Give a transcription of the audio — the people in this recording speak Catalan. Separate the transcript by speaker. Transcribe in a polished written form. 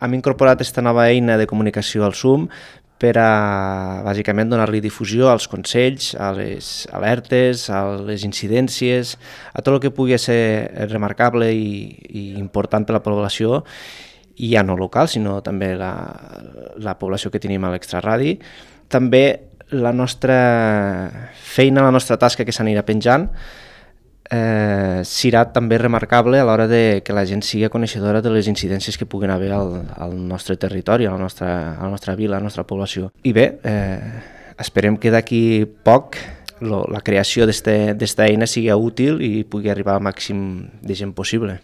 Speaker 1: Hem incorporat aquesta nova eina de comunicació al Zoom per a, bàsicament, donar-li difusió als consells, a les alertes, a les incidències, a tot el que pugui ser remarcable i important per a la població, i ja no local, sinó també la població que tenim a l'extraradi. També la nostra feina, la nostra tasca que s'anirà penjant, serà també remarcable a l'hora de que la gent sigui coneixedora de les incidències que puguin haver al nostre territori, a la nostra vila, a la nostra població. I bé, esperem que d'aquí poc la creació d'esta eina sigui útil i pugui arribar al màxim de gent possible.